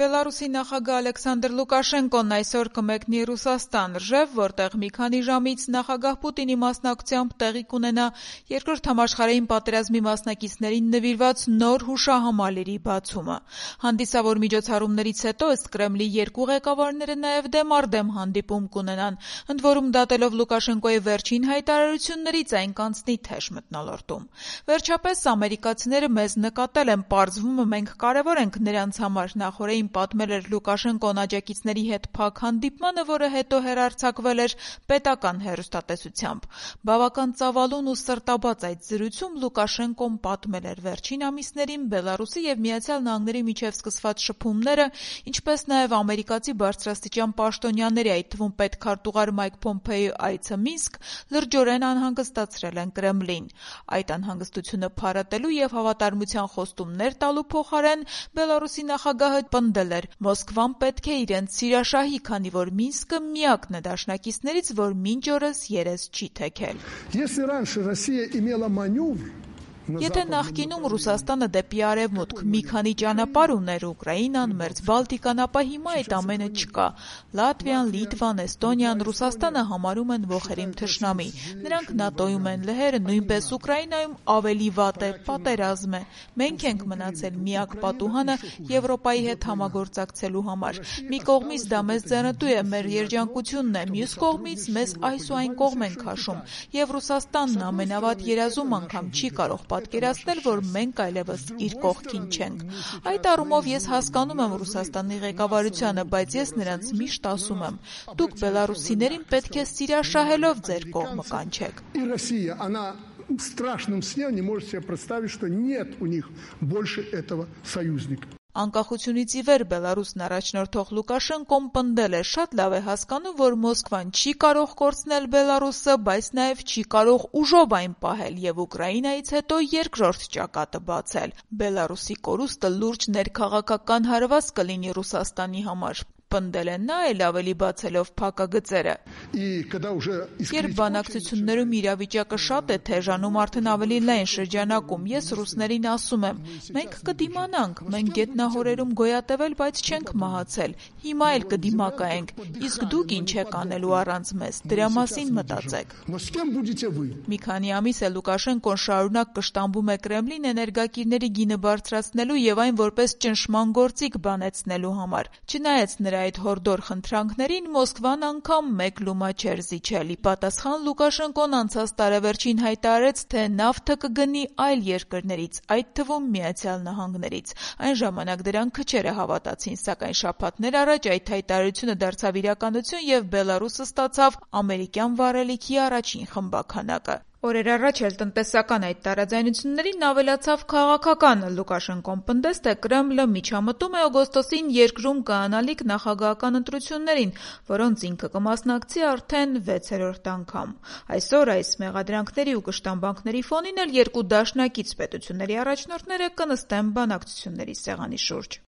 Բելարուսի նախագահ Ալեքսանդր Լուկաշենկոն այսօր կմեկնի Ռուսաստան, Ռժև, որտեղ մի քանի ժամից նախագահ Պուտինի մասնակցությամբ տեղի կունենա Երկրորդ համաշխարհային պատերազմի մասնակիցներին նվիրված նոր հուշահամալիրի բացումը։ Հանդիսավոր միջոցառումներից հետո ըստ Կրեմլի երկու ղեկավարները նաև դեմ-առ-դեմ հանդիպում կունենան, ընդ որում դատելով Լուկաշենկոյի վերջին հայտարարություններից այն կանցնի թեժ մթնոլորտում։ Վերջապես ամերիկացիները մեզ նկատել են, պարզվում է մենք կարևոր ենք նրանց համար, նախորդին պատմել էր Լուկաշենկոն աջակիցների հետ փակ հանդիպմանը, որը հետո հեռարձակվել էր պետական հեռուստատեսությամբ։ Բավական ծավալուն ու սրտաբաց այդ զրույցում Լուկաշենկոն պատմել էր վերջին ամիսներին Բելարուսի և Միացյալ Նահանգների միջև սկսված շփումները, ինչպես նաև ամերիկացի բարձրաստիճան պաշտոնյաների, այդ թվում պետքարտուղար Մայք Փոմփեոյի այցը Մինսկ լրջորեն անհանգստացրել են Կրեմլին։ Այդ անհանգստությունը փարատելու և հավատարմության խոստումներ տալու փոխարեն Բելարուսի նախագահը պնդել էր. Մոսկվան պետք է իրենց սիրաշահի, քանի որ Մինսկը միակն է դաշնակիցներից, որ մինչ օրս երես չի թեքել։ Եթե նախկինում Ռուսաստանը դեպի արևմուտք մի քանի ճանապարհ ուներ Ուկրաինան, մերձ Բալտիկան, ապա հիմա այդ ամենը չկա։ Լատվիան, Լիտվան, Էստոնիան Ռուսաստանը համարում են ոխերիմ թշնամի։ Նրանք ՆԱՏՕ-ում են, լեհերը նույնպես Ուկրաինայում ավելի վատ է, պատերազմ է։ Մենք ենք մնացել միակ պատուհանը Եվրոպայի հետ համագործակցելու համար։ Մի կողմից դա մեզ ձեռնտու է, մեր երջանկությունն է, մյուս կողմից մեզ այս ու այն կողմ են քաշում։ Եվ Ռուսաստանն ամենավատ երազում անգամ չի կարող պատկերացնել, որ մենք այլևս իր կողքին չենք։ Այդ առումով ես հասկանում եմ Ռուսաստանի ղեկավարությանը, բայց ես նրանց միշտ ասում եմ. դուք բելարուսիներին պետք է սիրաշահելով ձեր կողմը կանչեք։ В страшном сне не может себе представить, что нет у них больше этого союзника. Անկախությունից ի վեր Բելարուսն առաջնորդող Լուկաշենկոն պնդել է. շատ լավ է հասկանում, որ Մոսկվան չի կարող կորցնել Բելարուսը, բայց նաև չի կարող ուժով այն պահել և Ուկրաինայից հետո երկրորդ ճակատը բացել։ Բելարուսի կորուստը լուրջ ներքաղաքական հարված կլինի Ռուսաստանի համար։ Պնդել է նա էլ ավելի բացելով փակագծերը։ Երբ բանակցություններում իրավիճակը շատ է թեժանում, արդեն ավելի լայն շրջանակում, ես ռուսներին ասում եմ. մենք կդիմանանք, մենք գետնահորերում գոյատևել, բայց չենք մահացել, հիմա էլ կդիմակայենք, իսկ դուք ինչ եք անելու առանց մեզ, դրա մասին մտածեք։ Մի քանի ամիս է Լուկաշենկոն շարունակ կշտամբում է Կրեմլին էներգակիրների գինը բարձրացնելու և այն որպես ճնշման գործիք բանեցնելու համար։ Չնայած նրա այդ հորդոր խնդրանքներին Մոսկվան անգամ մեկ լումա չէր զիջել։ Ի պատասխան Լուկաշենկոն անցած տարեվերջին հայտարարեց, թե նավթը կգնի այլ երկրներից, այդ թվում Միացյալ Նահանգներից։ Այն ժամանակ դրան քչերը հավատացին, սակայն շաբաթներ առաջ այդ հայտարարությունը դարձավ իրականություն և Բելարուսը ստացավ ամերիկյան վառելիքի առաջին խմբաքանակը։ Օրեր առաջ էլ տնտեսական այդ տարաձայնություններին ավելացավ քաղաքական։ Լուկաշենկոն պնդեց, թե Կրեմլը միջամտում է օգոստոսին երկրում կայանալիք նախագահական ընտրություններին, որոնց ինքը կմասնակցի արդեն 6-րդ անգամ։ Այսօր այս մեղադրանքների ու կշտամբանքների ֆոնին էլ երկու դաշնակից պետությունների առաջնորդները կնստեն բանակցությունների սեղանի շուրջ։